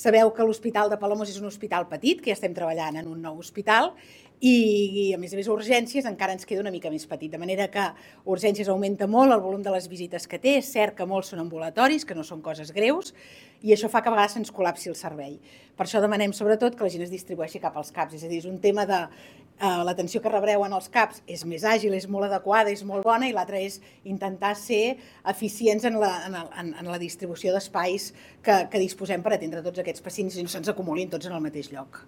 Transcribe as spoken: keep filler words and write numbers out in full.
Sabeu que l'Hospital de Palamós és un hospital petit, que ja estem treballant en un nou hospital, i, a més a més, urgències encara ens queda una mica més petit, de manera que urgències augmenta molt el volum de les visites que té, és cert que molts són ambulatoris, que no són coses greus, i això fa que a vegades se'ns col·lapsi el servei. Per això demanem, sobretot, que la gent es distribueixi cap als CAPs, és a dir, és un tema de eh, l'atenció que rebreu en els CAPs és més àgil, és molt adequada, és molt bona, i l'altra és intentar ser eficients en la, en en, en la distribució d'espais que, que disposem per atendre tots aquests pacients i no se'ns acumulin tots en el mateix lloc.